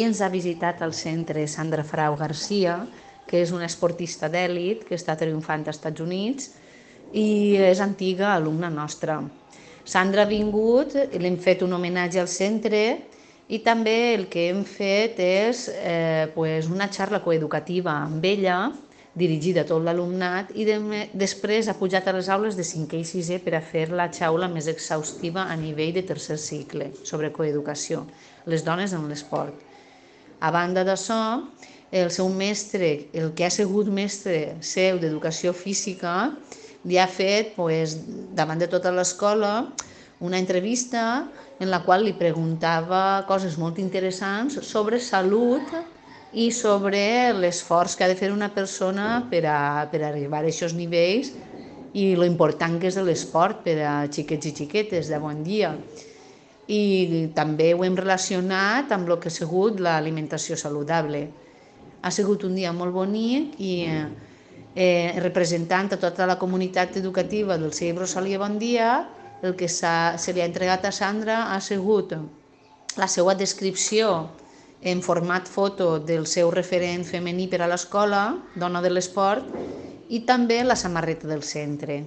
ens ha visitat al centre Sandra Frau Garcia, que és una esportista d'èlit que està triomfant als Estats Units i és antiga alumna nostra. Sandra ha vingut, l'hem fet un homenatge al centre i també el que hem fet és una xarra coeducativa amb ella, dirigida a tot l'alumnat, i després ha pujat a les aules de 5è i 6è per a fer la xaula més exhaustiva a nivell de tercer cicle sobre coeducació, les dones en l'esport. A banda d'això, el seu mestre, el que ha sigut mestre seu d'educació física, li ha fet, davant de tota l'escola, una entrevista en la qual li preguntava coses molt interessants sobre salut i sobre l'esforç que ha de fer una persona per arribar a aquests nivells i lo important que és l'esport per a xiquets i xiquetes d'avui en dia. I també ho hem relacionat amb el que ha sigut l'alimentació saludable. Ha sigut un dia molt bonic i representant a tota la comunitat educativa del CEI Rosalia Bon Dia, el que se li ha entregat a Sandra ha sigut la seva descripció en format foto del seu referent femení per a l'escola, dona de l'esport, i també la samarreta del centre.